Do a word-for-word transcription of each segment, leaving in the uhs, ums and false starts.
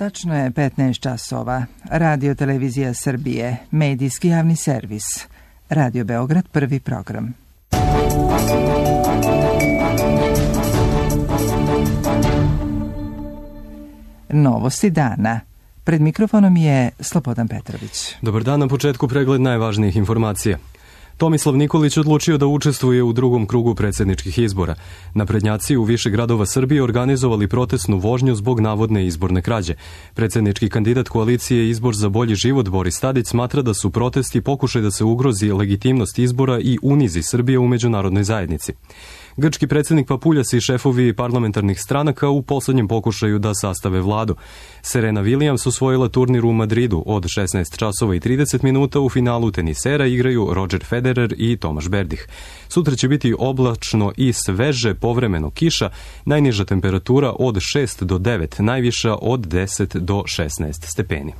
Tačno je petnaest časova. Radio Televizija Srbije, medijski javni servis. Radio Beograd, prvi program. Novosti dana. Pred mikrofonom je Slobodan Petrović. Dobar dan, na početku pregled najvažnijih informacija. Tomislav Nikolić odlučio da učestvuje u drugom krugu predsjedničkih izbora. Naprednjaci u više gradova Srbije organizovali protestnu vožnju zbog navodne izborne krađe. Predsjednički kandidat koalicije Izbor za bolji život Boris Tadić smatra da su protesti pokušaj da se ugrozi legitimnost izbora i unizi Srbije u međunarodnoj zajednici. Grčki predsjednik Papuljas i šefovi parlamentarnih stranaka u posljednjem pokušaju da sastave vladu. Serena Williams osvojila turnir u Madridu. Od šesnaest časova i trideset minuta u finalu tenisera igraju Roger Federer i Tomaš Berdih. Sutra će biti oblačno i sveže, povremeno kiša, najniža temperatura od šest do devet, najviša od deset do šesnaest stepeni.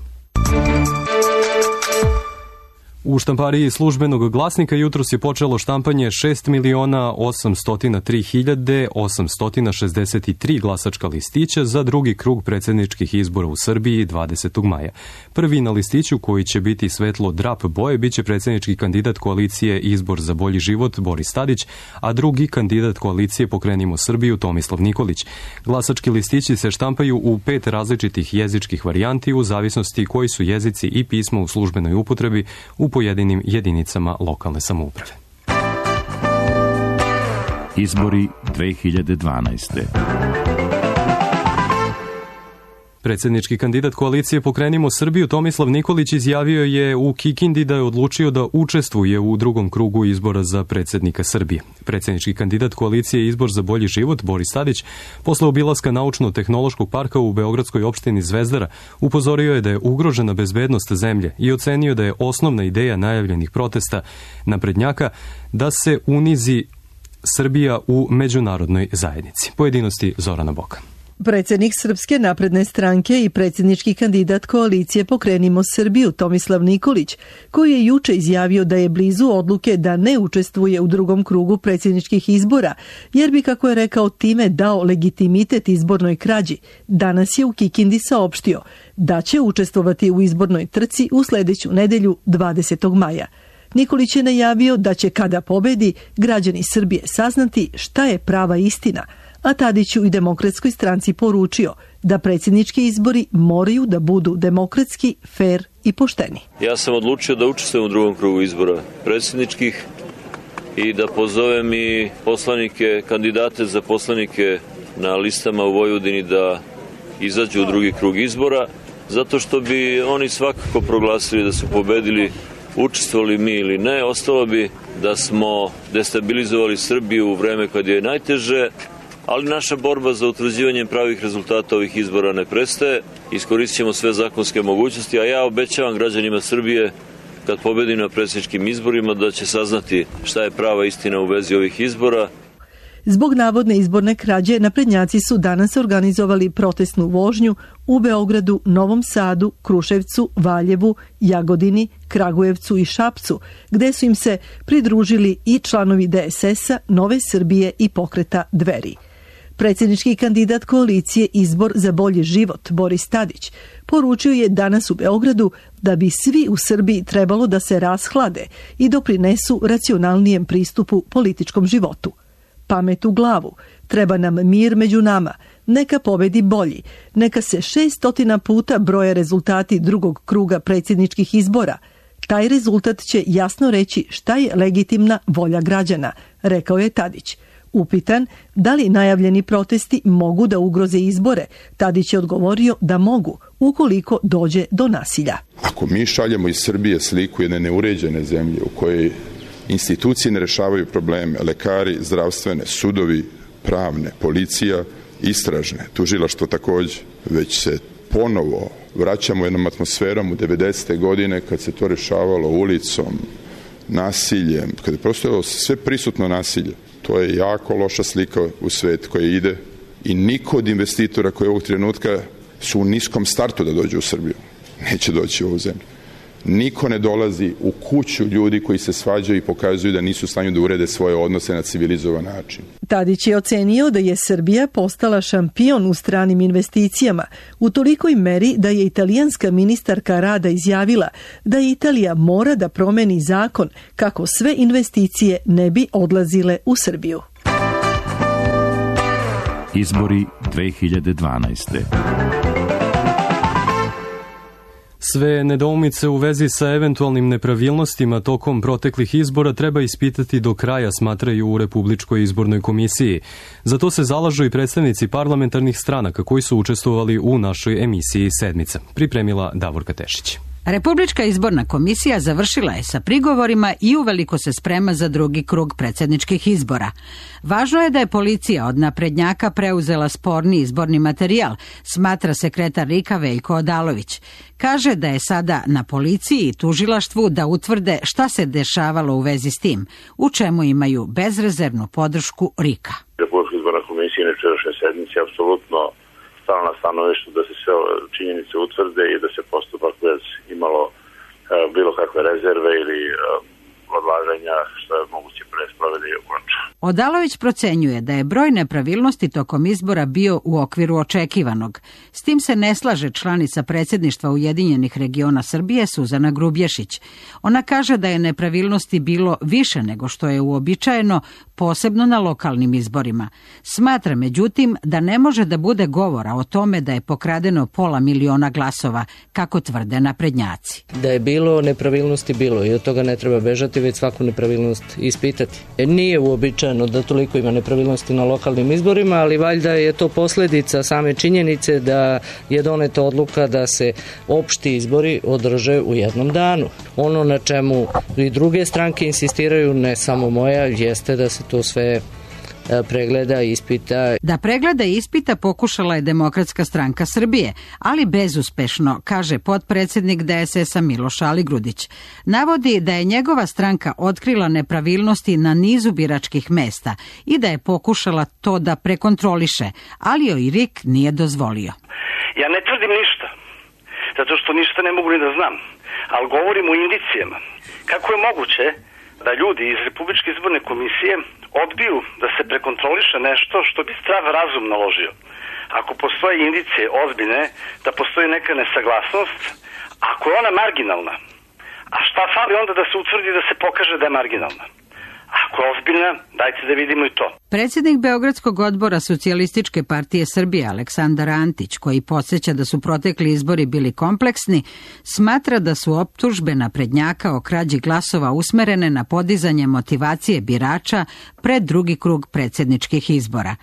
U štampariji službenog glasnika jutros je počelo štampanje šest miliona osamsto tri hiljade osamsto šezdeset tri glasačka listića za drugi krug predsjedničkih izbora u Srbiji dvadesetog maja. Prvi na listiću, koji će biti svetlo drap boje, bit će predsjednički kandidat koalicije Izbor za bolji život Boris Tadić, a drugi kandidat koalicije Pokrenimo Srbiju Tomislav Nikolić. Glasački listići se štampaju u pet različitih jezičkih varijanti u zavisnosti koji su jezici i pismo u službenoj upotrebi u pojedinim jedinicama lokalne samouprave. Izbori dve hiljade dvanaeste. Predsjednički kandidat koalicije Pokrenimo Srbiju Tomislav Nikolić izjavio je u Kikindi da je odlučio da učestvuje u drugom krugu izbora za predsjednika Srbije. Predsjednički kandidat koalicije Izbor za bolji život Boris Tadić posle obilaska naučno-tehnološkog parka u beogradskoj opštini Zvezdara upozorio je da je ugrožena bezbednost zemlje i ocenio da je osnovna ideja najavljenih protesta naprednjaka da se unizi Srbija u međunarodnoj zajednici. Pojedinosti Zorana Boka. Predsjednik Srpske napredne stranke i predsjednički kandidat koalicije Pokrenimo Srbiju Tomislav Nikolić, koji je juče izjavio da je blizu odluke da ne učestvuje u drugom krugu predsjedničkih izbora, jer bi, kako je rekao, time dao legitimitet izbornoj krađi, danas je u Kikindi saopštio da će učestvovati u izbornoj trci u sljedeću nedelju dvadesetog maja. Nikolić je najavio da će, kada pobedi, građani Srbije saznati šta je prava istina, a Tadiću i Demokratskoj stranci poručio da predsjednički izbori moraju da budu demokratski, fer i pošteni. Ja sam odlučio da učestvujem u drugom krugu izbora predsjedničkih i da pozovem i poslanike, kandidate za poslanike na listama u Vojvodini da izađu u drugi krug izbora, zato što bi oni svakako proglasili da su pobedili, učestvovali mi ili ne. Ostalo bi da smo destabilizovali Srbiju u vreme kad je najteže, ali naša borba za utvrđivanje pravih rezultata ovih izbora ne prestaje. Iskoristit ćemo sve zakonske mogućnosti, a ja obećavam građanima Srbije, kad pobedim na predsjedničkim izborima, da će saznati šta je prava istina u vezi ovih izbora. Zbog navodne izborne krađe, naprednjaci su danas organizovali protestnu vožnju u Beogradu, Novom Sadu, Kruševcu, Valjevu, Jagodini, Kragujevcu i Šapcu, gde su im se pridružili i članovi de es es a, Nove Srbije i Pokreta Dveri. Predsjednički kandidat koalicije Izbor za bolji život Boris Tadić poručio je danas u Beogradu da bi svi u Srbiji trebalo da se rashlade i doprinesu racionalnijem pristupu političkom životu. Pamet u glavu, treba nam mir među nama, neka pobedi bolji, neka se šestotina puta broje rezultati drugog kruga predsjedničkih izbora. Taj rezultat će jasno reći šta je legitimna volja građana, rekao je Tadić. Upitan da li najavljeni protesti mogu da ugroze izbore, Tadić je odgovorio da mogu, ukoliko dođe do nasilja. Ako mi šaljemo iz Srbije sliku jedne neuređene zemlje u kojoj institucije ne rešavaju probleme, lekari, zdravstvene, sudovi, pravne, policija, istražne, tužilaštvo također, već se ponovo vraćamo jednom atmosferom u devedesete godine kad se to rešavalo ulicom, nasiljem, kada je prostojalo sve prisutno nasilje. To je jako loša slika u svet koja ide i niko od investitora koji ovog trenutka su u niskom startu da dođe u Srbiju neće doći u ovu zemlju. Niko ne dolazi u kuću ljudi koji se svađaju i pokazuju da nisu u stanju da urede svoje odnose na civilizovan način. Tadić je ocenio da je Srbija postala šampion u stranim investicijama u tolikoj meri da je italijanska ministarka rada izjavila da Italija mora da promeni zakon kako sve investicije ne bi odlazile u Srbiju. Izbori dve hiljade dvanaeste. Sve nedoumice u vezi sa eventualnim nepravilnostima tokom proteklih izbora treba ispitati do kraja, smatraju u Republičkoj izbornoj komisiji. Za to se zalažu i predstavnici parlamentarnih stranaka koji su učestvovali u našoj emisiji Sedmica. Pripremila Davorka Tešić. Republička izborna komisija završila je sa prigovorima i uveliko se sprema za drugi krug predsjedničkih izbora. Važno je da je policija od naprednjaka preuzela sporni izborni materijal, smatra sekretar RIK-a Veljko Odalović. Kaže da je sada na policiji i tužilaštvu da utvrde šta se dešavalo u vezi s tim, u čemu imaju bezrezervnu podršku RIK-a. Republička izborna komisija na jučerašnjoj sednici apsolutno stala na stanovištu da se sve činjenice utvrde i da se postupak bez imalo e, bilo kakve rezerve ili e, odlaganja što je moguće pre sprovede i okonča. Odalović procenjuje da je broj nepravilnosti tokom izbora bio u okviru očekivanog. S tim se ne slaže članica predsjedništva Ujedinjenih regiona Srbije Suzana Grubješić. Ona kaže da je nepravilnosti bilo više nego što je uobičajeno, posebno na lokalnim izborima. Smatra međutim da ne može da bude govora o tome da je pokradeno pola miliona glasova, kako tvrde naprednjaci. Da je bilo nepravilnosti, bilo i od toga ne treba bežati, već svaku nepravilnost ispitati. Nije uobičajeno da toliko ima nepravilnosti na lokalnim izborima, ali valjda je to posljedica same činjenice da je doneta odluka da se opšti izbori održe u jednom danu. Ono na čemu i druge stranke insistiraju, ne samo moja, jeste da se to sve pregleda i ispita. Da pregleda i ispita pokušala je Demokratska stranka Srbije, ali bezuspešno, kaže potpredsjednik D S S-a Miloš Aligrudić. Navodi da je njegova stranka otkrila nepravilnosti na nizu biračkih mesta i da je pokušala to da prekontroliše, ali joj R I K nije dozvolio. Ja ne tvrdim ništa, zato što ništa ne mogu ni da znam, ali govorim o indicijama. Kako je moguće da ljudi iz Republičke izborne komisije odbiju da se prekontroliše nešto što bi zdrav razum naložio? Ako postoje indicije ozbiljne da postoji neka nesaglasnost, ako je ona marginalna, a šta fali onda da se utvrdi da se pokaže da je marginalna? Ako je ozbiljna, dajte da vidimo i to. Predsjednik Beogradskog odbora Socijalističke partije Srbije Aleksandar Antić, koji podsjeća da su protekli izbori bili kompleksni, smatra da su optužbe naprednjaka o krađi glasova usmerene na podizanje motivacije birača pred drugi krug predsjedničkih izbora.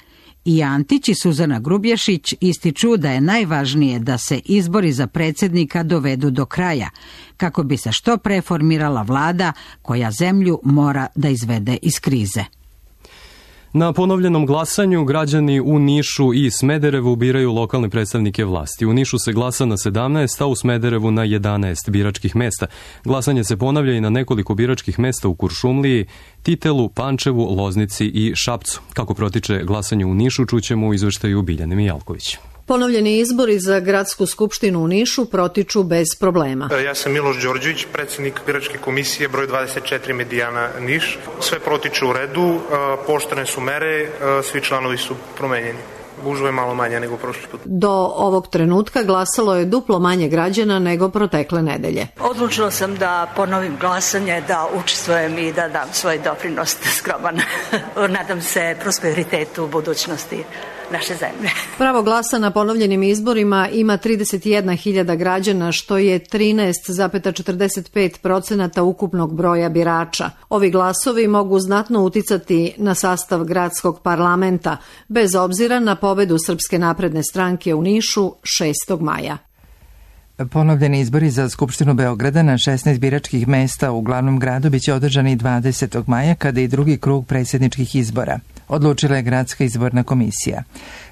I Antić i Suzana Grubješić ističu da je najvažnije da se izbori za predsjednika dovedu do kraja, kako bi se što pre formirala vlada koja zemlju mora da izvede iz krize. Na ponovljenom glasanju građani u Nišu i Smederevu biraju lokalne predstavnike vlasti. U Nišu se glasa na sedamnaest, a u Smederevu na jedanaest biračkih mesta. Glasanje se ponavlja i na nekoliko biračkih mesta u Kuršumliji, Titelu, Pančevu, Loznici i Šapcu. Kako protiče glasanje u Nišu, čućemo u izveštaju Biljane Mijalković. Ponovljeni izbori za gradsku skupštinu u Nišu protiču bez problema. Ja sam Miloš Đorđević, predsjednik biračke komisije broj dvadeset četiri Medijana Niš. Sve protiče u redu, poštene su mere, svi članovi su promenjeni. Gužva je malo manja nego prošli put. Do ovog trenutka glasalo je duplo manje građana nego protekle nedelje. Odlučila sam da ponovim glasanje, da učestvujem i da dam svoj doprinos skroman. Nadam se prosperitetu u budućnosti naše zemlje. Pravo glasa na ponovljenim izborima ima trideset jedna hiljada građana, što je trinaest zarez četrdeset pet procenata ukupnog broja birača. Ovi glasovi mogu znatno uticati na sastav gradskog parlamenta, bez obzira na pobedu Srpske napredne stranke u Nišu šestog maja. Ponovljeni izbori za Skupštinu Beograda na šesnaest biračkih mesta u glavnom gradu biće održani dvadesetog maja, kada i drugi krug predsjedničkih izbora. Odlučila je Gradska izborna komisija.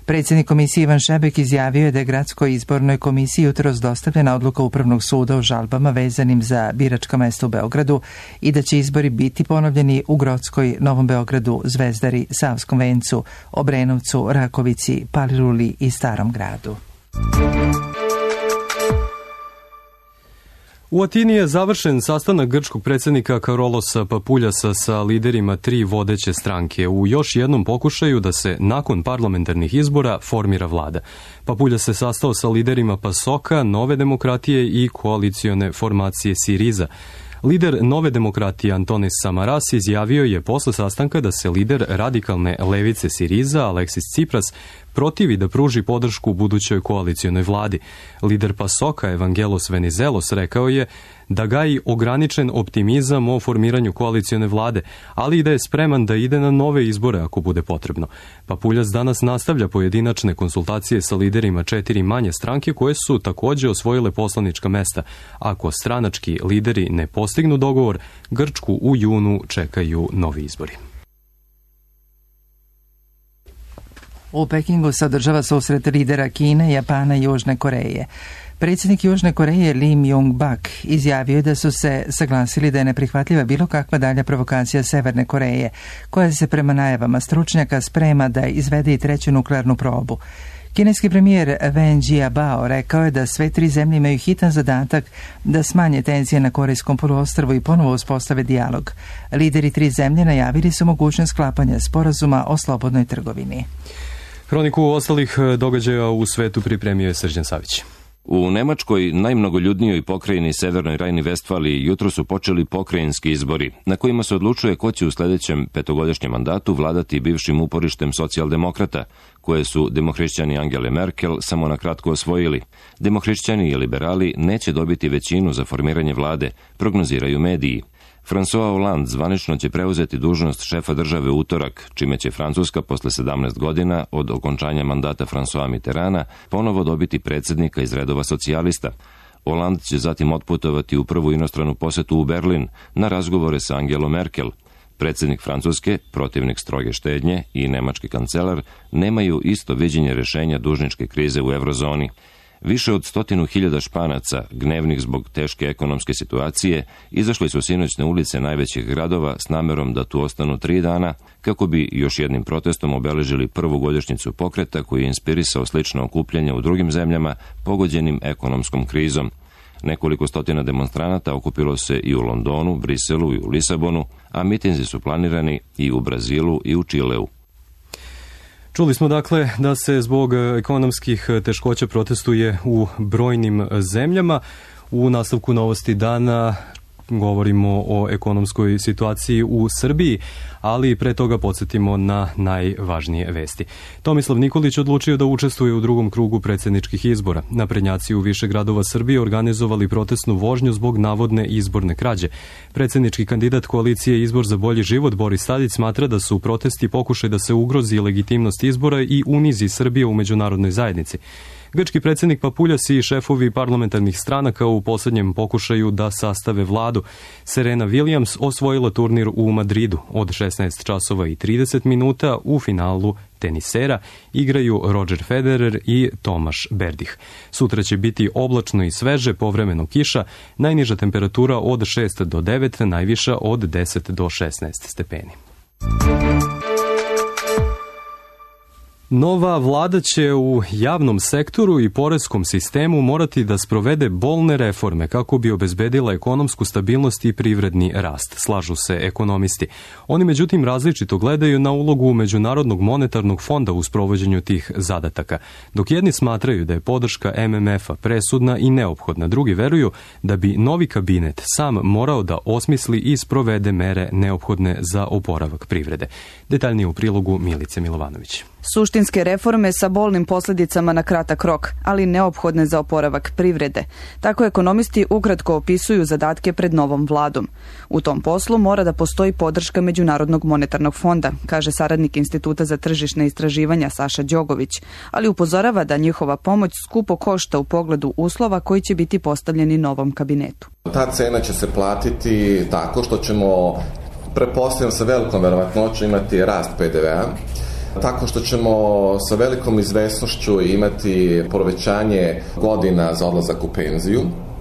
Predsjednik komisije Ivan Šebek izjavio je da je Gradskoj izbornoj komisiji jutros dostavljena odluka Upravnog suda o žalbama vezanim za biračka mesta u Beogradu i da će izbori biti ponovljeni u Grockoj, Novom Beogradu, Zvezdari, Savskom Vencu, Obrenovcu, Rakovici, Paliluli i Starom gradu. U Atini je završen sastanak grčkog predsjednika Karolosa Papuljasa sa liderima tri vodeće stranke u još jednom pokušaju da se nakon parlamentarnih izbora formira vlada. Papuljas se sastao sa liderima Pasoka, Nove demokratije i koalicione formacije Siriza. Lider Nove demokratije Antonis Samaras izjavio je posle sastanka da se lider radikalne levice Siriza Aleksis Tsipras protivi da pruži podršku budućoj koalicionoj vladi. Lider Pasoka Evangelos Venizelos rekao je da gaji ograničen optimizam o formiranju koalicione vlade, ali i da je spreman da ide na nove izbore ako bude potrebno. Papuljas danas nastavlja pojedinačne konsultacije sa liderima četiri manje stranke koje su također osvojile poslanička mesta. Ako stranački lideri ne postignu dogovor, Grčku u junu čekaju novi izbori. U Pekingu se održava susret lidera Kine, Japana i Južne Koreje. Predsjednik Južne Koreje Lee Myung-bak izjavio je da su se saglasili da je neprihvatljiva bilo kakva dalja provokacija Severne Koreje, koja se prema najavama stručnjaka sprema da izvede i treću nuklearnu probu. Kineski premijer Wen Jiabao rekao je da sve tri zemlje imaju hitan zadatak da smanje tenzije na Korejskom poluostrvu i ponovo uspostave dijalog. Lideri tri zemlje najavili su mogućnost sklapanja sporazuma o slobodnoj trgovini. Hroniku ostalih događaja u svetu pripremio je Srđan Savić. U Nemačkoj, najmnogoljudnijoj pokrajini Severnoj Rajni-Vestfaliji, jutro su počeli pokrajinski izbori, na kojima se odlučuje ko će u sljedećem petogodišnjem mandatu vladati bivšim uporištem socijaldemokrata, koje su demohrišćani Angele Merkel samo na kratko osvojili. Demohrišćani i liberali neće dobiti većinu za formiranje vlade, prognoziraju mediji. François Hollande zvanično će preuzeti dužnost šefa države u utorak, čime će Francuska posle sedamnaest godina od okončanja mandata François Mitterranda ponovo dobiti predsjednika iz redova socijalista. Hollande će zatim otputovati u prvu inostranu posetu u Berlin na razgovore sa Angelom Merkel. Predsjednik Francuske, protivnik stroge štednje i nemački kancelar nemaju isto viđenje rješenja dužničke krize u eurozoni. Više od stotinu hiljada Španaca, gnevnih zbog teške ekonomske situacije, izašli su sinoć na ulice najvećih gradova s namerom da tu ostanu tri dana, kako bi još jednim protestom obeležili prvu godišnjicu pokreta koji je inspirisao slično okupljanje u drugim zemljama pogođenim ekonomskom krizom. Nekoliko stotina demonstranata okupilo se i u Londonu, Briselu i u Lisabonu, a mitinzi su planirani i u Brazilu i u Čileu. Čuli smo dakle da se zbog ekonomskih teškoća protestuje u brojnim zemljama. U nastavku novosti dana govorimo o ekonomskoj situaciji u Srbiji, ali pre toga podsjetimo na najvažnije vesti. Tomislav Nikolić odlučio da učestvuje u drugom krugu predsjedničkih izbora. Naprednjaci u više gradova Srbije organizovali protestnu vožnju zbog navodne izborne krađe. Predsjednički kandidat koalicije Izbor za bolji život Boris Tadić smatra da su protesti pokušaj da se ugrozi legitimnost izbora i unizi Srbije u međunarodnoj zajednici. Grčki predsjednik Papuljas i šefovi parlamentarnih stranaka u posljednjem pokušaju da sastave vladu. Serena Williams osvojila turnir u Madridu. Od šesnaest časova i trideset minuta u finalu tenisera igraju Roger Federer i Tomaš Berdih. Sutra će biti oblačno i sveže, povremeno kiša, najniža temperatura od šest do devet, najviša od deset do šesnaest stepeni. Nova vlada će u javnom sektoru i poreskom sistemu morati da sprovede bolne reforme kako bi obezbedila ekonomsku stabilnost i privredni rast, slažu se ekonomisti. Oni međutim različito gledaju na ulogu Međunarodnog monetarnog fonda u sprovođenju tih zadataka. Dok jedni smatraju da je podrška M M F-a presudna i neophodna, drugi veruju da bi novi kabinet sam morao da osmisli i sprovede mere neophodne za oporavak privrede. Detaljnije u prilogu Milice Milovanović. Suštinske reforme sa bolnim posljedicama na kratak rok, ali neophodne za oporavak privrede. Tako ekonomisti ukratko opisuju zadatke pred novom vladom. U tom poslu mora da postoji podrška Međunarodnog monetarnog fonda, kaže saradnik Instituta za tržišne istraživanja Saša Đogović, ali upozorava da njihova pomoć skupo košta u pogledu uslova koji će biti postavljeni novom kabinetu. Ta cena će se platiti tako što ćemo, pretpostavljam sa velikom verovatnoću, imati rast P D V-a, tako što ćemo sa velikom izvesnošću imati povećanje godina za odlazak u penziju.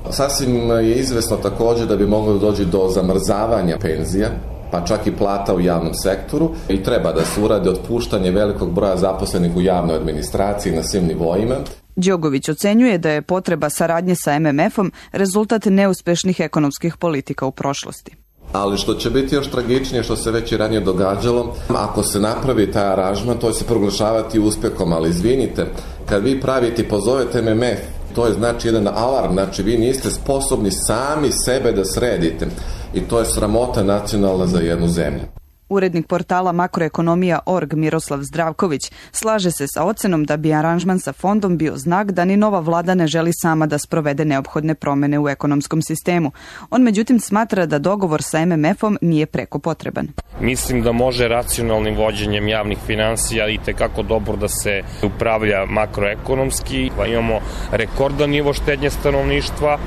Sasvim je izvesno također da bi moglo da dođe do zamrzavanja penzija, pa čak i plata u javnom sektoru, i treba da se urade otpuštanje velikog broja zaposlenih u javnoj administraciji na svim nivoima. Đogović ocenjuje da je potreba saradnje sa em em efom rezultat neuspešnih ekonomskih politika u prošlosti. Ali što će biti još tragičnije, što se već i ranije događalo, ako se napravi taj aranžman, to će se proglašavati uspehom, ali izvinite, kad vi pravite i pozovete em em ef, to je znači jedan alarm, znači vi niste sposobni sami sebe da sredite i to je sramota nacionalna za jednu zemlju. Urednik portala makroekonomija точка org Miroslav Zdravković slaže se sa ocenom da bi aranžman sa fondom bio znak da ni nova vlada ne želi sama da sprovede neophodne promene u ekonomskom sistemu. On međutim smatra da dogovor sa em em efom nije preko potreban. Mislim da može racionalnim vođenjem javnih finansija i tekako dobro da se upravlja makroekonomski. Imamo rekordan nivo štednje stanovništva,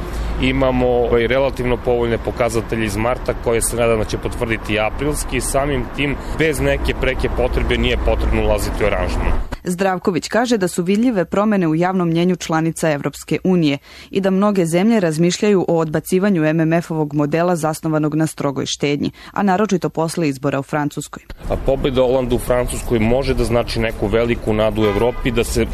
imamo relativno povoljne pokazatelje iz marta koje se nadam da će potvrditi aprilski. Samim tim, bez neke preke potrebe nije potrebno ulaziti u aranžman. Zdravković kaže da su vidljive promene u javnom mnjenju članica Evropske unije i da mnoge zemlje razmišljaju o odbacivanju em em efovog modela zasnovanog na strogoj štednji, a naročito posle izbora u Francuskoj. A pobeda Olanda u Francuskoj može da znači neku veliku nadu u Evropi da se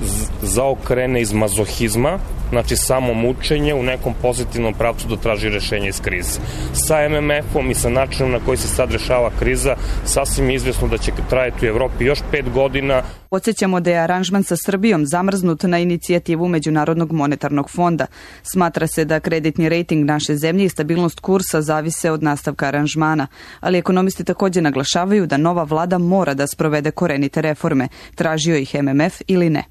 zaokrene iz mazohizma, znači samo mučenje u nekom pozitivnom pravcu da traži rešenje iz krize. Sa em em efom i sa načinom na koji se sad rešava kriza, sasvim izvesno da će trajati u Evropi još pet godina. Podsjećamo da je aranžman sa Srbijom zamrznut na inicijativu Međunarodnog monetarnog fonda. Smatra se da kreditni rejting naše zemlje i stabilnost kursa zavise od nastavka aranžmana, ali ekonomisti također naglašavaju da nova vlada mora da sprovede korenite reforme, tražio ih em em ef ili ne.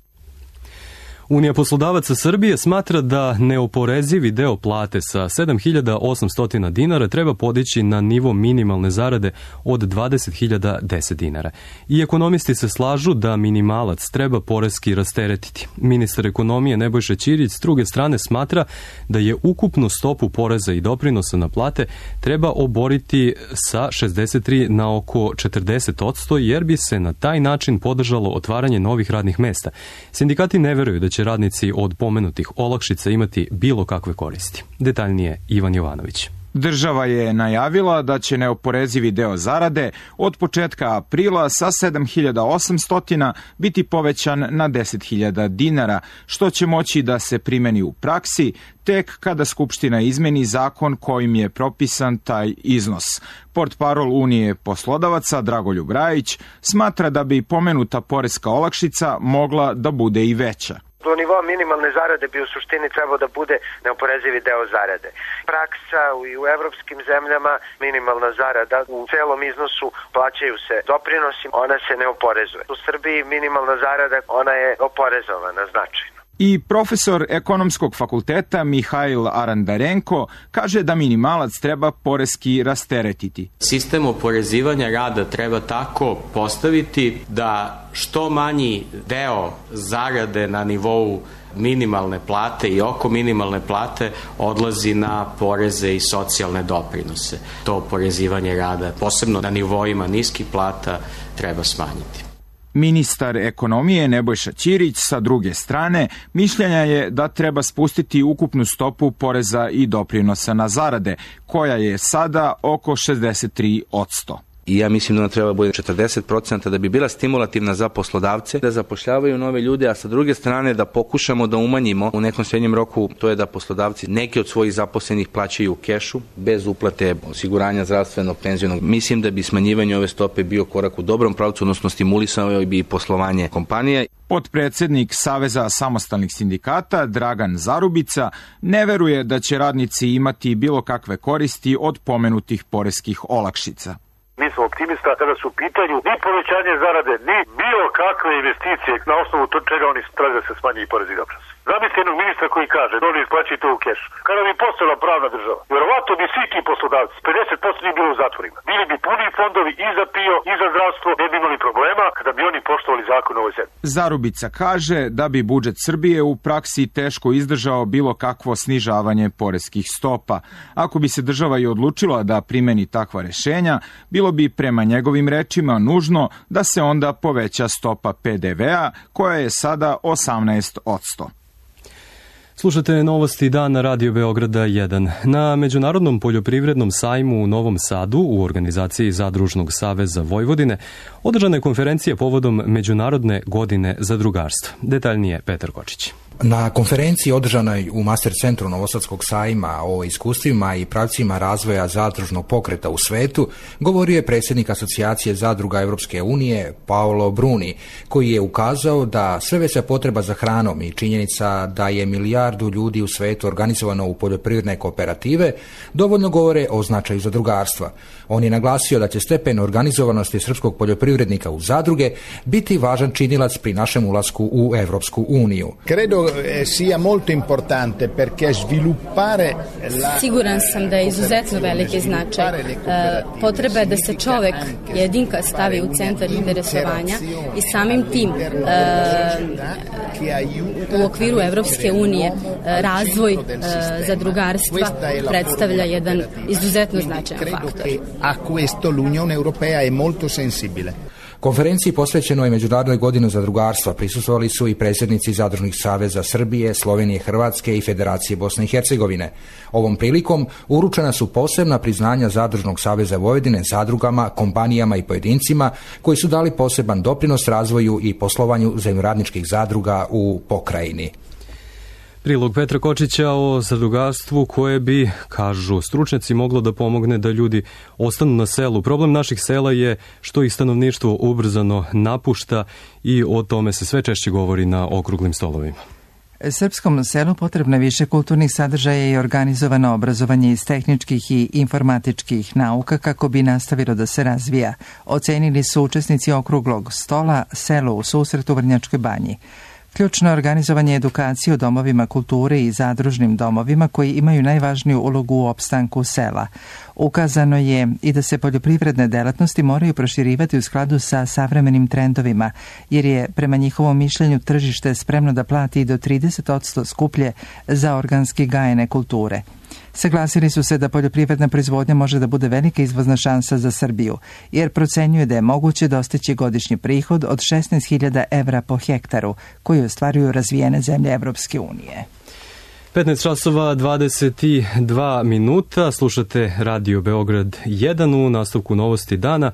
Unija poslodavaca Srbije smatra da neoporezivi deo plate sa sedam hiljada osamsto dinara treba podići na nivo minimalne zarade od dvadeset hiljada deset dinara. I ekonomisti se slažu da minimalac treba poreski rasteretiti. Ministar ekonomije Nebojša Ćirić s druge strane smatra da je ukupnu stopu poreza i doprinosa na plate treba oboriti sa šezdeset tri na oko četrdeset posto jer bi se na taj način podržalo otvaranje novih radnih mesta. Sindikati ne veruju da će radnici od pomenutih olakšica imati bilo kakve koristi. Detaljnije Ivan Jovanović. Država je najavila da će neoporezivi deo zarade od početka aprila sa sedam hiljada osamsto biti povećan na deset hiljada dinara, što će moći da se primeni u praksi tek kada Skupština izmeni zakon kojim je propisan taj iznos. Portparol Unije poslodavaca Dragoljub Rajić smatra da bi pomenuta poreska olakšica mogla da bude i veća. Do nivoa minimalne zarade bi u suštini trebao da bude neoporezivi deo zarade. Praksa i u evropskim zemljama minimalna zarada u celom iznosu plaćaju se doprinosi, ona se ne oporezuje. U Srbiji minimalna zarada, ona je oporezovana značajno. I profesor ekonomskog fakulteta Mihajl Arandarenko kaže da minimalac treba poreski rasteretiti. Sistem oporezivanja rada treba tako postaviti da što manji deo zarade na nivou minimalne plate i oko minimalne plate odlazi na poreze i socijalne doprinose. To oporezivanje rada, posebno na nivoima niskih plata, treba smanjiti. Ministar ekonomije Nebojša Ćirić sa druge strane mišljenja je da treba spustiti ukupnu stopu poreza i doprinosa na zarade, koja je sada oko šezdeset tri posto. I ja mislim da ona treba bude četrdeset posto da bi bila stimulativna za poslodavce da zapošljavaju nove ljude, a sa druge strane da pokušamo da umanjimo u nekom srednjem roku, to je da poslodavci neki od svojih zaposlenih plaćaju u kešu bez uplate osiguranja zdravstvenog, penzionog. Mislim da bi smanjivanje ove stope bio korak u dobrom pravcu, odnosno stimulisao bi poslovanje kompanije. Potpredsednik Saveza samostalnih sindikata Dragan Zarubica ne veruje da će radnici imati bilo kakve koristi od pomenutih poreskih olakšica. Mi smo optimista kada su u pitanju ni povećanje zarade, ni bilo kakve investicije na osnovu to čega oni traže da se smanji i porezi i doprinosi. Zamislite jednog ministra koji kaže da oni isplaćuju to u kešu. Kada bi postala pravna država, vjerovatno bi svi ti poslodavci, pedeset posto bi bilo u zatvorima. Bili bi puni fondovi i za PIO i za zdravstvo, ne bi imali problema kada bi oni poštovali zakon u ovoj zemlji. Zarubica kaže da bi budžet Srbije u praksi teško izdržao bilo kakvo snižavanje poreskih stopa. Ako bi se država i odlučila da primeni takva rešenja, bilo bi prema njegovim rečima nužno da se onda poveća stopa pe de ve a koja je sada osamnaest posto. Slušate novosti dana Radio Beograda jedan. Na Međunarodnom poljoprivrednom sajmu u Novom Sadu u organizaciji Zadružnog saveza Vojvodine održana je konferencija povodom Međunarodne godine zadrugarstva. Detaljnije Petar Kočić. Na konferenciji održanoj u Master centru Novosadskog sajma o iskustvima i pravcima razvoja zadružnog pokreta u svetu govorio je predsjednik Asocijacije zadruga Europske unije Paolo Bruni, koji je ukazao da sve veća potreba za hranom i činjenica da je milijardu ljudi u svetu organizovano u poljoprivredne kooperative dovoljno govore o značaju zadrugarstva. On je naglasio da će stepen organizovanosti srpskog poljoprivrednika u zadruge biti važan činilac pri našem ulasku u Europsku uniju. Credo sia molto importante perché sviluppare la... Siguran sam da je izuzetno veliki značaj. Potreba je da se čovek jedinka stavi u centar interesovanja i samim tim u okviru Evropske unije razvoj zadrugarstva predstavlja jedan izuzetno značajan faktor. A questo l'Unione Europea è molto sensibile. Konferenciji posvećenoj Međunarodnoj godini zadrugarstva prisustvovali su i predsjednici Zadružnih saveza Srbije, Slovenije, Hrvatske i Federacije Bosne i Hercegovine. Ovom prilikom uručena su posebna priznanja Zadružnog saveza Vojvodine zadrugama, kompanijama i pojedincima koji su dali poseban doprinos razvoju i poslovanju zemljoradničkih zadruga u pokrajini. Prilog Petra Kočića o zadrugarstvu koje bi, kažu stručnjaci, moglo da pomogne da ljudi ostanu na selu. Problem naših sela je što ih stanovništvo ubrzano napušta i o tome se sve češće govori na okruglim stolovima. Srpskom selu potrebno je više kulturnih sadržaja i organizovano obrazovanje iz tehničkih i informatičkih nauka kako bi nastavilo da se razvija, ocenili su učesnici okruglog stola Selo u susretu u Vrnjačkoj banji. Ključno je organizovanje edukacije u domovima kulture i zadružnim domovima koji imaju najvažniju ulogu u opstanku sela. Ukazano je i da se poljoprivredne delatnosti moraju proširivati u skladu sa savremenim trendovima, jer je prema njihovom mišljenju tržište spremno da plati i do trideset posto skuplje za organski gajene kulture. Saglasili su se da poljoprivredna proizvodnja može da bude velika izvozna šansa za Srbiju, jer procenjuje da je moguće dostići godišnji prihod od šesnaest hiljada evra po hektaru, koji ostvaruju razvijene zemlje Evropske unije. petnaest časova dvadeset dva minuta, slušate Radio Beograd jedan u nastavku novosti dana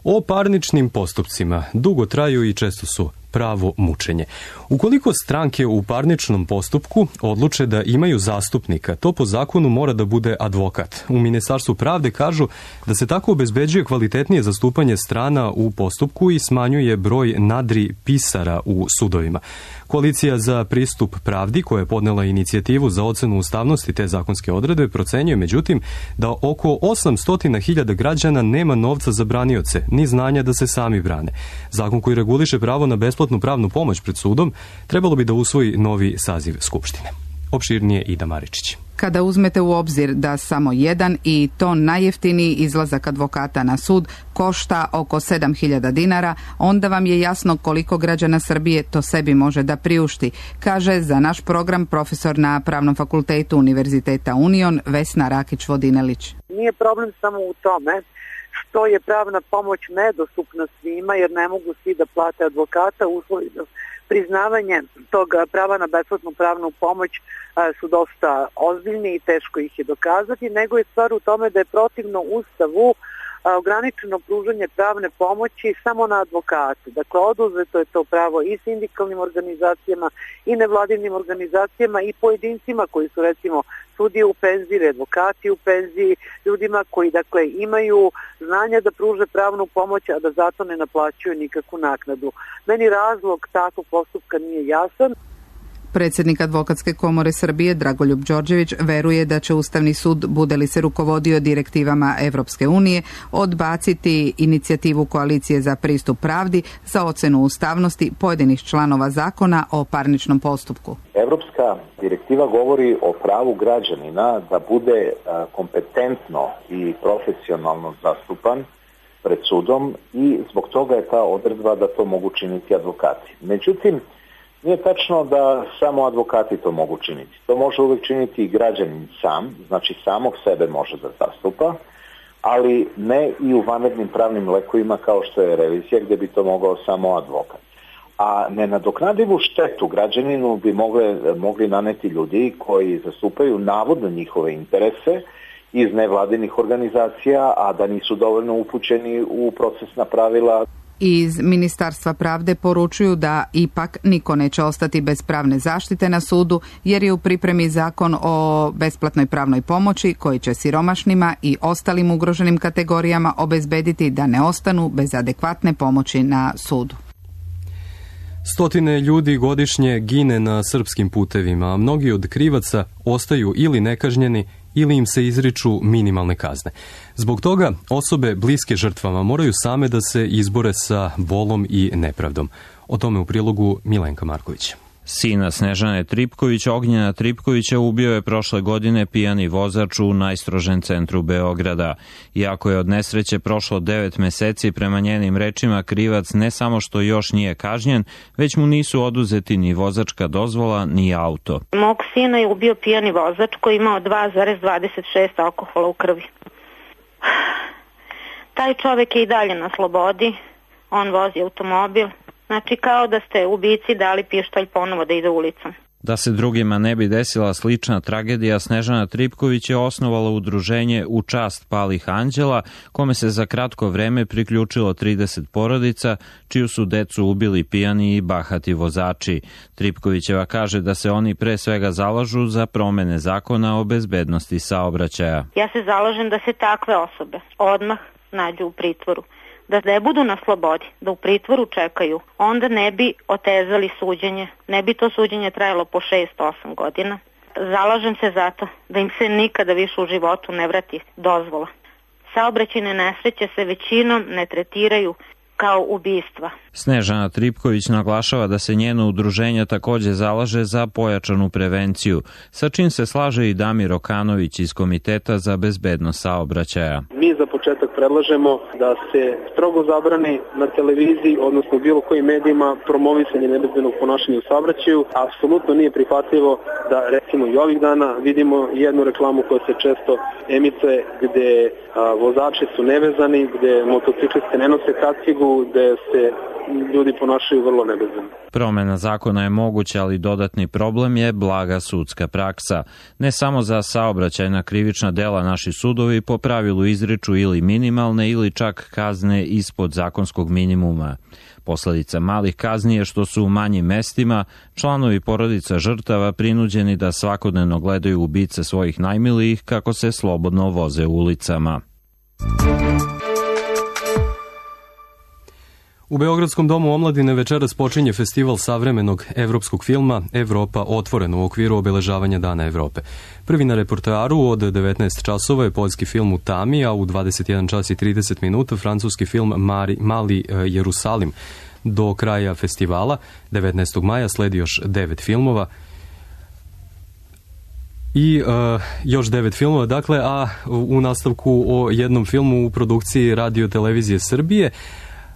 o parničnim postupcima. Dugo traju i često su pravo mučenje. Ukoliko stranke u parničnom postupku odluče da imaju zastupnika, to po zakonu mora da bude advokat. U Ministarstvu pravde kažu da se tako obezbeđuje kvalitetnije zastupanje strana u postupku i smanjuje broj nadri pisara u sudovima. Koalicija za pristup pravdi, koja je podnela inicijativu za ocenu ustavnosti te zakonske odredbe, procenjuje međutim da oko osamsto hiljada građana nema novca za branioce, ni znanja da se sami brane. Zakon koji reguliše pravo na besplatnu pravnu pomoć pred sudom trebalo bi da usvoji novi saziv Skupštine. Opširnije Ida Maričić. Kada uzmete u obzir da samo jedan i to najjeftiniji izlazak advokata na sud košta oko sedam hiljada dinara, onda vam je jasno koliko građana Srbije to sebi može da priušti, kaže za naš program profesor na Pravnom fakultetu Univerziteta Union Vesna Rakić-Vodinelić. Nije problem samo u tome što je pravna pomoć nedostupna svima, jer ne mogu svi da plate advokata. Uslovi za priznavanje tog prava na besplatnu pravnu pomoć su dosta ozbiljni i teško ih je dokazati, nego je stvar u tome da je protivno Ustavu ograničeno pružanje pravne pomoći samo na advokate. Dakle, oduzeto je to pravo i sindikalnim organizacijama i nevladinim organizacijama i pojedincima koji su recimo sudije u penziji, advokati u penziji, ljudima koji dakle imaju znanja da pruže pravnu pomoć, a da zato ne naplaćuju nikakvu naknadu. Meni razlog takvog postupka nije jasan. Predsjednik Advokatske komore Srbije Dragoljub Đorđević veruje da će Ustavni sud, bude li se rukovodio direktivama Evropske unije, odbaciti inicijativu Koalicije za pristup pravdi za ocenu ustavnosti pojedinih članova zakona o parničnom postupku. Evropska direktiva govori o pravu građanina da bude kompetentno i profesionalno zastupan pred sudom i zbog toga je ta odredba da to mogu činiti advokati. Međutim, nije tačno da samo advokati to mogu činiti. To može uvijek činiti i građanin sam, znači samog sebe može da zastupa, ali ne i u vanrednim pravnim lekovima kao što je revizija gdje bi to mogao samo advokat. A nenadoknadivu štetu građaninu bi mogle, mogli naneti ljudi koji zastupaju navodno njihove interese iz nevladinih organizacija, a da nisu dovoljno upućeni u procesna pravila. Iz Ministarstva pravde poručuju da ipak niko neće ostati bez pravne zaštite na sudu jer je u pripremi zakon o besplatnoj pravnoj pomoći koji će siromašnima i ostalim ugroženim kategorijama obezbediti da ne ostanu bez adekvatne pomoći na sudu. Stotine ljudi godišnje gine na srpskim putevima, a mnogi od krivaca ostaju ili nekažnjeni ili im se izriču minimalne kazne. Zbog toga osobe bliske žrtvama moraju same da se izbore sa bolom i nepravdom. O tome u prilogu Milenka Marković. Sina Snežane Tripković, Ognjena Tripkovića, ubio je prošle godine pijani vozač u najstrožem centru Beograda. Iako je od nesreće prošlo devet meseci, prema njenim rečima krivac ne samo što još nije kažnjen, već mu nisu oduzeti ni vozačka dozvola, ni auto. Mog sina je ubio pijani vozač koji je imao dva zarez dvadeset šest alkohola u krvi. Taj čovek je i dalje na slobodi, on vozi automobil. Znači kao da ste ubici dali pištolj ponovo da ide ulicom. Da se drugima ne bi desila slična tragedija, Snežana Tripković je osnovala udruženje U čast palih anđela, kome se za kratko vreme priključilo trideset porodica, čiju su decu ubili pijani i bahati vozači. Tripkovićeva kaže da se oni pre svega zalažu za promene zakona o bezbednosti saobraćaja. Ja se zalažem da se takve osobe odmah nađu u pritvoru, da ne budu na slobodi, da u pritvoru čekaju, onda ne bi otezali suđenje, ne bi to suđenje trajalo po šest osam godina. Zalažem se zato da im se nikada više u životu ne vrati dozvola. Saobraćajne nesreće se većinom ne tretiraju kao ubistva. Snežana Tripković naglašava da se njeno udruženje takođe zalaže za pojačanu prevenciju, sa čim se slaže i Damir Okanović iz Komiteta za bezbednost saobraćaja. Mi za početak predlažemo da se strogo zabrani na televiziji, odnosno u bilo kojim medijima, promovisanje nebezbednog ponašanja u saobraćaju. Apsolutno nije prihvatljivo da recimo i ovih dana vidimo jednu reklamu koja se često emituje gde a, vozači su nevezani, gde motocikliste ne nose kacigu, gde se ljudi ponašaju vrlo nebezbedno. Promena zakona je moguća, ali dodatni problem je blaga sudska praksa. Ne samo za saobraćajna krivična dela naši sudovi po pravilu izriču ili minimalne ili čak kazne ispod zakonskog minimuma. Posledica malih kazni je što su u manjim mestima članovi porodica žrtava prinuđeni da svakodnevno gledaju ubice svojih najmilijih kako se slobodno voze ulicama. U Beogradskom domu omladine večeras počinje festival savremenog evropskog filma Evropa otvorena u okviru obeležavanja Dana Evrope. Prvi na repertoaru od devetnaest časova je poljski film U tami, a u dvadeset jedan čas i trideset minuta francuski film Mari, Mali Jerusalim. Do kraja festivala, devetnaestog maja, sledi još devet filmova i uh, još devet filmova, dakle, a u nastavku o jednom filmu u produkciji Radio Televizije Srbije.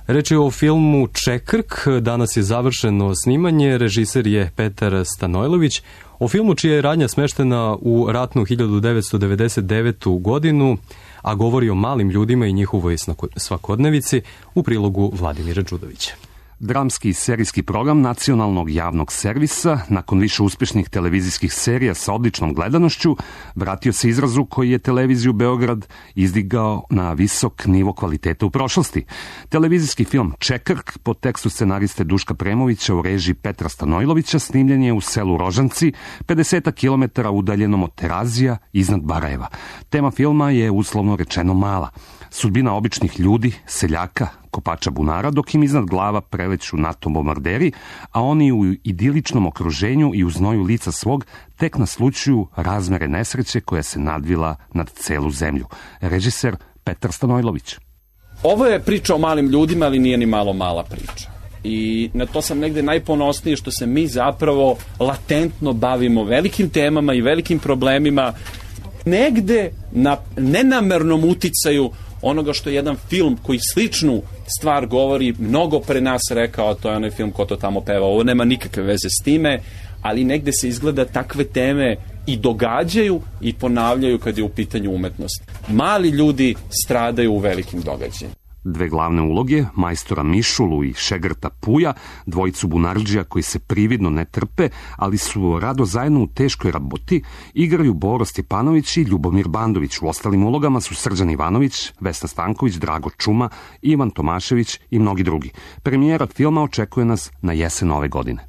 Reč je o filmu Čekrk, danas je završeno snimanje, režiser je Petar Stanojlović. O filmu čija je radnja smeštena u ratnu hiljadu devetsto devedeset devetu. godinu, a govori o malim ljudima i njihovoj svakodnevici, u prilogu Vladimira Đudovića. Dramski i serijski program nacionalnog javnog servisa, nakon više uspješnih televizijskih serija sa odličnom gledanošću, vratio se izrazu koji je televiziju Beograd izdigao na visok nivo kvaliteta u prošlosti. Televizijski film Čekrk po tekstu scenariste Duška Premovića u režiji Petra Stanojlovića snimljen je u selu Rožanci, pedeset kilometara udaljenom od Terazija iznad Barajeva. Tema filma je uslovno rečeno mala. Sudbina običnih ljudi, seljaka, kopača bunara, dok im iznad glava preleću NATO bombarderi, a oni u idiličnom okruženju i u znoju lica svog tek naslućuju razmere nesreće koja se nadvila nad celu zemlju. Režiser Petar Stanojlović. Ovo je priča o malim ljudima, ali nije ni malo mala priča. I na to sam negde najponosniji što se mi zapravo latentno bavimo velikim temama i velikim problemima, negde na nenamernom uticaju onoga što je jedan film koji sličnu stvar govori mnogo pre nas rekao, a to je onaj film Ko to tamo peva. Ovo nema nikakve veze s time, ali negde se izgleda takve teme i događaju i ponavljaju kad je u pitanju umetnost. Mali ljudi stradaju u velikim događajima. Dve glavne uloge, majstora Mišulu i šegrta Puja, dvojicu bunarđija koji se prividno ne trpe, ali su rado zajedno u teškoj raboti, igraju Boro Stjepanović i Ljubomir Bandović. U ostalim ulogama su Srđan Ivanović, Vesna Stanković, Drago Čuma, Ivan Tomašević i mnogi drugi. Premijera filma očekuje nas na jesen ove godine.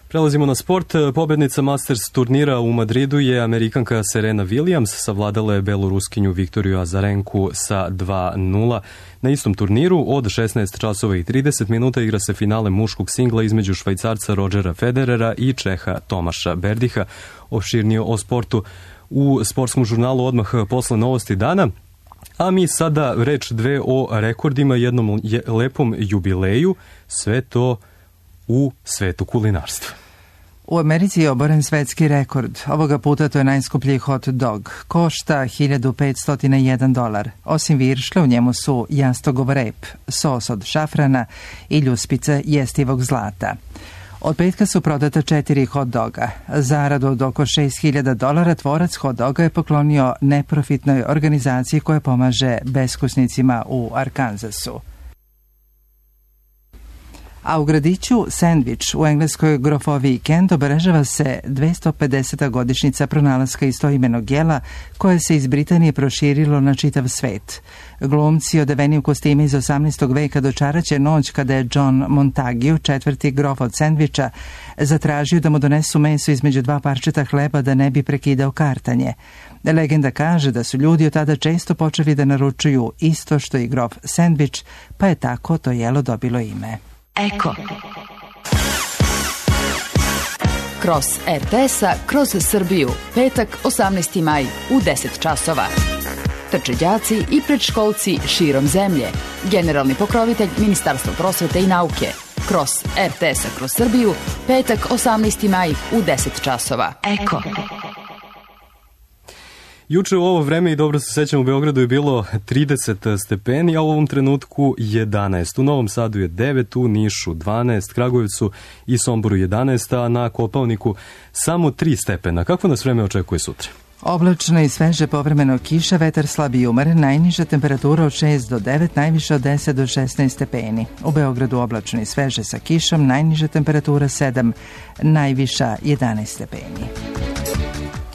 Prelazimo na sport. Pobednica Masters turnira u Madridu je Amerikanka Serena Williams, savladala je beloruskinju Viktoriju Azarenku sa dva nula. Na istom turniru od šesnaest časova i trideset minuta igra se finale muškog singla između Švajcarca Rodgera Federera i Čeha Tomaša Berdiha. Opširnije o sportu u sportskom žurnalu odmah posle novosti dana. A mi sada reč dve o rekordima, jednom lepom jubileju, sve to u svetu kulinarstva. U Americi je oboren svetski rekord. Ovoga puta to je najskuplji hot dog. Košta hiljadu petsto jedan dolar. Osim viršle u njemu su jastogov rep, sos od šafrana i ljuspice jestivog zlata. Od petka su prodata četiri hot doga. Zaradu od oko šest hiljada dolara tvorac hot doga je poklonio neprofitnoj organizaciji koja pomaže beskućnicima u Arkansasu. A u gradiću Sandwich u engleskoj grofoviji Kent obeležava se dvesta pedeseta godišnjica pronalaska istoimenog jela koje se iz Britanije proširilo na čitav svet. Glumci odeveni u kostime iz osamnaestog veka dočaraće noć kada je John Montagu, četvrti grof od Sandwicha, zatražio da mu donesu meso između dva parčeta hleba da ne bi prekidao kartanje. Legenda kaže da su ljudi od tada često počeli da naručuju isto što i grof Sandwich, pa je tako to jelo dobilo ime. Eko. Kroz er te es-a, kroz Srbiju, petak osamnaesti maj u deset časova. Trče đaci i predškolci širom zemlje. Generalni pokrovitelj Ministarstva prosvete i nauke. Kroz er te es-a, kroz Srbiju, petak osamnaesti maj u deset časova. Eko. Juče u ovo vreme, i dobro se sećam, u Beogradu je bilo trideset stepeni, a u ovom trenutku jedanaest. U Novom Sadu je devet, u Nišu dvanaest, Kragujevcu i Somboru jedanaest, a na Kopaoniku samo tri stepena. Kako nas vreme očekuje sutra? Oblačno i sveže, povremeno kiša, vetar slab i umeren, najniža temperatura od šest do devet, najviša od deset do šesnaest stepeni. U Beogradu oblačno i sveže sa kišom, najniža temperatura sedam, najviša jedanaest stepeni.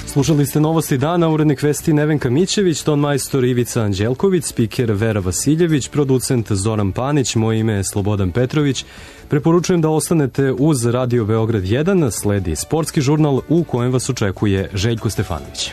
Slušali ste novosti dana, urednik vesti Nevenka Mićević, ton majstor Ivica Anđelković, spiker Vera Vasiljević, producent Zoran Panić, moje ime je Slobodan Petrović. Preporučujem da ostanete uz Radio Beograd jedan, sledi sportski žurnal u kojem vas očekuje Željko Stefanović.